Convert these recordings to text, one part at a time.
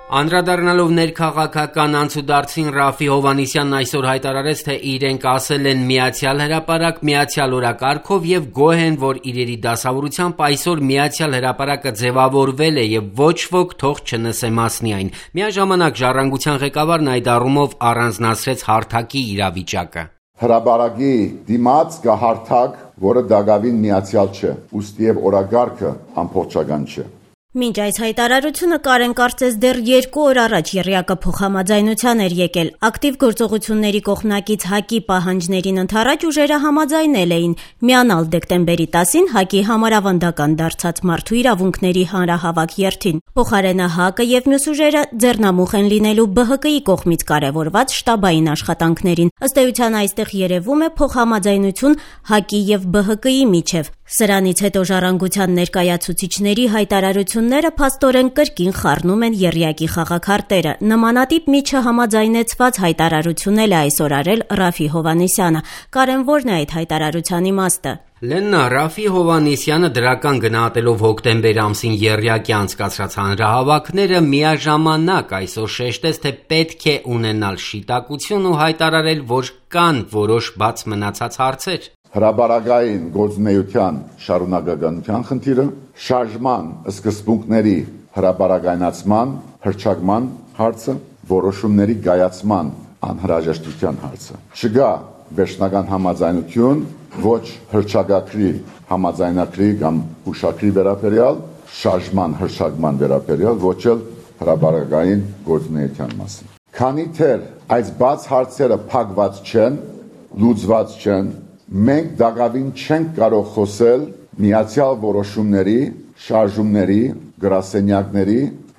Անդրադառնալով ներքաղաքական անցուդարձին Ռաֆի Հովհաննիսյանն այսօր հայտարարեց, թե իրենք ասել են միացյալ հրապարակ, միացյալ օրակարգով եւ գոհ են, որ իրերի դասավորությամբ այսօր միացյալ հրապարակը ձևավորվել է եւ ոչ ոք թող չնսե մասնի այն։ Միաժամանակ ժառանգության ղեկավարն այդ առումով առանձնացրեց հարթակի իրավիճակը։ Հրապարակի դիմաց կա հարթակ, որը դակավին միացյալ չէ, ուստի եւ օրակարգը ամբողջական չէ։ Մինչ այս հայտարարությունը Կարեն կարծես դեռ 2 օր առաջ եռյակը փոխհամաձայնության էր եկել։ Ակտիվ գործողությունների կողմնակից ՀԱԿ-ի պահանջներին ընդառաջ ուժերը համաձայնել էին միանալ դեկտեմբերի 10-ին ՀԱԿ-ի համարավանդական դարձած մարդու իրավունքների հանրահավաք երթին։ Փոխարենը ՀԱԿ-ը եւ մյուս ուժերը ձեռնամուխ են լինելու ԲՀԿ-ի կողմից կարևորված շտաբային աշխատանքներին։ Ըստ էության այստեղ երևում է փոխհամաձայնություն ՀԱԿ-ի եւ ԲՀԿ-ի միջև։ Սրանից հետո ժառանգության ներկայացուցիչների հայտարարությունները փաստորեն կրկին խառնում են եռյակի խաղաքարտերը։ Նմանատիպ մի չհամաձայնեցված հայտարարություն էլ է այսօր արել Ռաֆի Հովհաննիսյանը։ Կարեն, ո՞րն է այդ հայտարարության իմաստը։ Լեննա, Ռաֆի Հովհաննիսյանը դրական գնահատելով հոկտեմբեր ամսին եռյակի անցկացրած հանրահավաքները միաժամանակ այսօր շեշտեց, թե պետք է ունենալ շիտակություն ու հայտարարել, որ կան որոշ բաց մնացած հարցեր։ Հրապարակային գործունեության շարունակականության խնդիրը, շարժման սկզբունքների հրապարակայնացման, հռչակման հարցը, որոշումների կայացման անհրաժեշտության հարցը։ Չկա վերջնական համաձայնություն ոչ հռչակագրի համաձայնագրի կամ հուշագրի վերաբերյալ, շարժման հռչակման վերաբերյալ, ոչ էլ հրապարակային գործունեության մասին։ Քանի դեռ այս բաց հարցերը փակված չեն, լուծված չեն, մենք դակավին չենք կարող խոսել միացյալ որոշումների, շարժումների, գրասենյակների,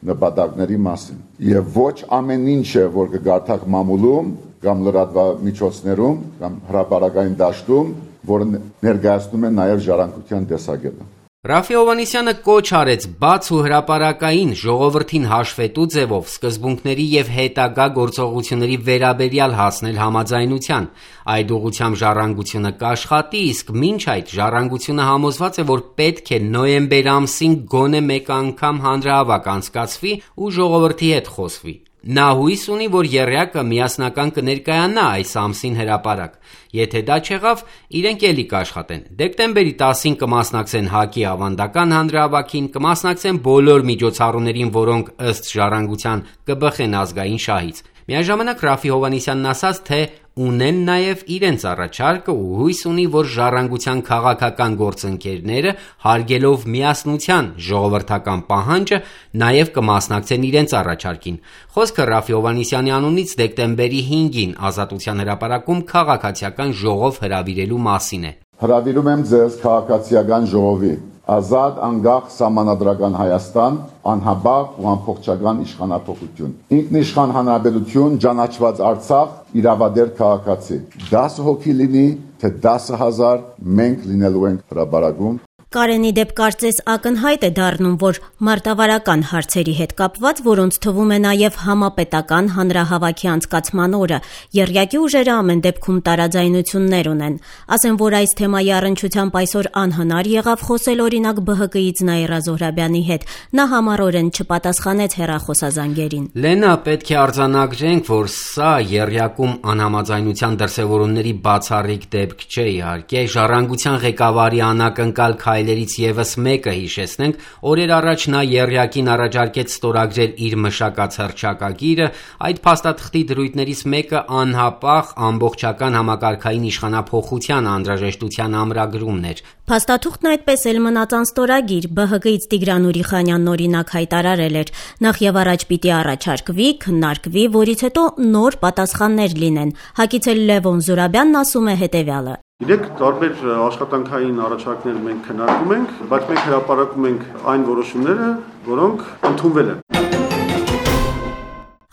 նպատակների մասին։ Եվ ոչ ամեն ինչը, որ կգարթակ մամուլում կամ լրատվամիջոցներում կամ հրապարակային դաշտում, որը ներկայացնում է նաև ժառանգության տեսակետը։ Ռաֆի Հովհաննիսյանը կոչ արեց բաց ու հրապարակային ժողովրդին հաշվետու ձևով սկզբունքների եւ հետագա գործողությունների վերաբերյալ հասնել համաձայնության։ Այդ ուղղությամբ ժառանգությունը կաշխատի, իսկ մինչ այդ ժառանգությունը համոզված է, որ պետք է նոյեմբեր ամսին գոնե մեկ անգամ հանրահավաք անցկացվի ու ժողովրդի հետ խոսվի։ Նա հույս ունի, որ եռյակը միասնական կներկայանա այս ամսին հրապարակ։ Եթե դա չեղավ, իրենք էլի կաշխատեն։ Դեկտեմբերի 10-ին կմասնակցեն ՀԱԿ-ի ավանդական հանրահավաքին, կմասնակցեն բոլոր միջոցառումներին, որոնք ըստ ժառանգության կբխեն ազգային շահից։ Միաժամանակ Ռաֆի Հովհաննիսյանն ասաց, թե ունեն նաև իրենց առաջարկը ու հույս ունի, որ ժառանգության քաղաքական գործընկերները հարգելով միասնության ժողովրդական պահանջը նաև կմասնակցեն իրենց առաջարկին։ Խոսքը Ռաֆի Հովհաննիսյանի անունից դեկտեմբերի 5-ին Ազատության հրապարակում քաղաքացիական ժողով հրավիրելու մասին է։ Հրավիրում եմ ձեզ քաղաքացիական ժողովի ազատ, անկախ, սահմանադրական Հայաստան, անհաբաղ ու ամբողջական իշխանափոխություն։ Ինքնիշխան հանրապետություն, ճանաչված Արցախ, իրավադեր քաղաքացի։ 10 հոգի լինի, թե 10,000 մենք լինելու ենք հրապարակում։ Կարենի դեպ կարծես ակնհայտ է դառնում, որ մարտավարական հարցերի հետ կապված, որոնց թվում է նաև համապետական հանրահավաքի անցկացման օրը, եռյակի ուժերը ամեն դեպքում տարաձայնություններ ունեն։ Ասեմ, որ այս թեմայի առնչությամբ այսօր անհնար եղավ խոսել օրինակ ԲՀԿ-ից Նաիրա Զոհրաբյանի հետ։ Նա համառորեն չպատասխանեց հեռախոսազանգերին։ Լենա, պետք է արձանագրենք, որ սա եռյակում անհամաձայնության դրսևորումների բացառիկ դեպք չէ, իհարկե, ժառանգության ղեկավարի անակնկալ քայլերից եւս մեկը հիշեցնենք, օրեր առաջ նա եռյակին առաջարկեց ստորագրել իր մշակած հռչակագիրը, այդ փաստաթղթի դրույթներից մեկը անհապաղ ամբողջական համակարգային իշխանափոխության անհրաժեշտության ամրագրումն էր։ Փաստաթուղթն այդպես էլ մնաց անստորագիր, ԲՀԿ-ից Տիգրան Ուրիխանյանն օրինակ հայտարարել էր. նախ եւ առաջ պիտի առաջարկվի, քննարկվի, որից հետո նոր պատասխաններ լինեն։ ՀԱԿ-ից էլ Լևոն Զուրաբյանն ասում է հետեւյալը. Իրեք տարբեր աշխատանքային առաջարկներ մենք քննարկում ենք, բայց մենք հրապարակում ենք այն որոշումները, որոնք ընդունվել են։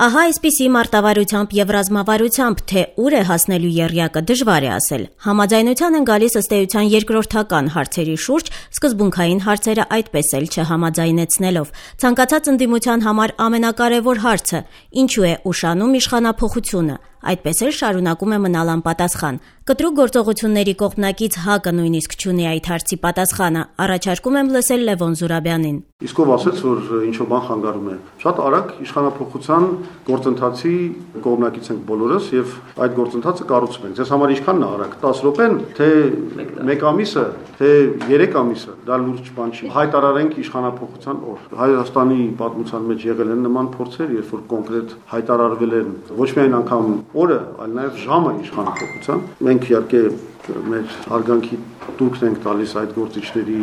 Ահա այսպիսի մարտավարությամբ եւ ռազմավարությամբ, թե ուր է հասնելու եռյակը, դժվար է ասել։ Համաձայնության են գալիս ըստ էության երկրորդական հարցերի շուրջ, սկզբունքային հարցերը այդպես էլ չհամաձայնեցնելով։ Ցանկացած ընդդիմության համար ամենակարևոր հարցը՝ ինչու է ուշանում իշխանափոխությունը։ այդպես էլ շարունակում է մնալ անպատասխան։ Կտրուկ գործողությունների կողմնակից ՀԱԿ-ը նույնիսկ չունի այդ հարցի պատասխանը, առաջարկում եմ լսել Լևոն Զուրաբյանին։ Իսկ ով ասեց, որ ինչ-որ բան խանգարում է։ Շատ արագ իշխանափոխության գործընթացի կողմնակից ենք բոլորս եւ այդ գործընթացը կառուցում ենք։ Ձեզ համար ինչքանն է արագ, 10 րոպեն, թե 1 ամիսը, թե 3 ամիսը, դա լուրջ բան չի։ Հայտարարենք իշխանափոխության օր։ Հայաստանի պատմության մեջ եղել են նման փորձեր, երբ որ կոնկրետ հայտարարվել են ոչ միայն անգամ օրը, այլ նաեւ ժամը իշխանափոխության։ Մենք իհարկե մեր հարգանքի տուրքն ենք տալիս այդ գործիչների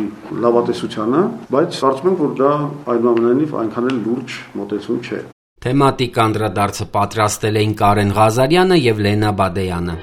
լավատեսությանը, բայց կարծում եմ, որ դա այնուամենայնիվ այնքան էլ լուրջ մոտեցում չէ։ Թեմատիկ անդրադարձը պատրաստել էին Կարեն Ղազարյանը եւ Լենա Բադեյանը։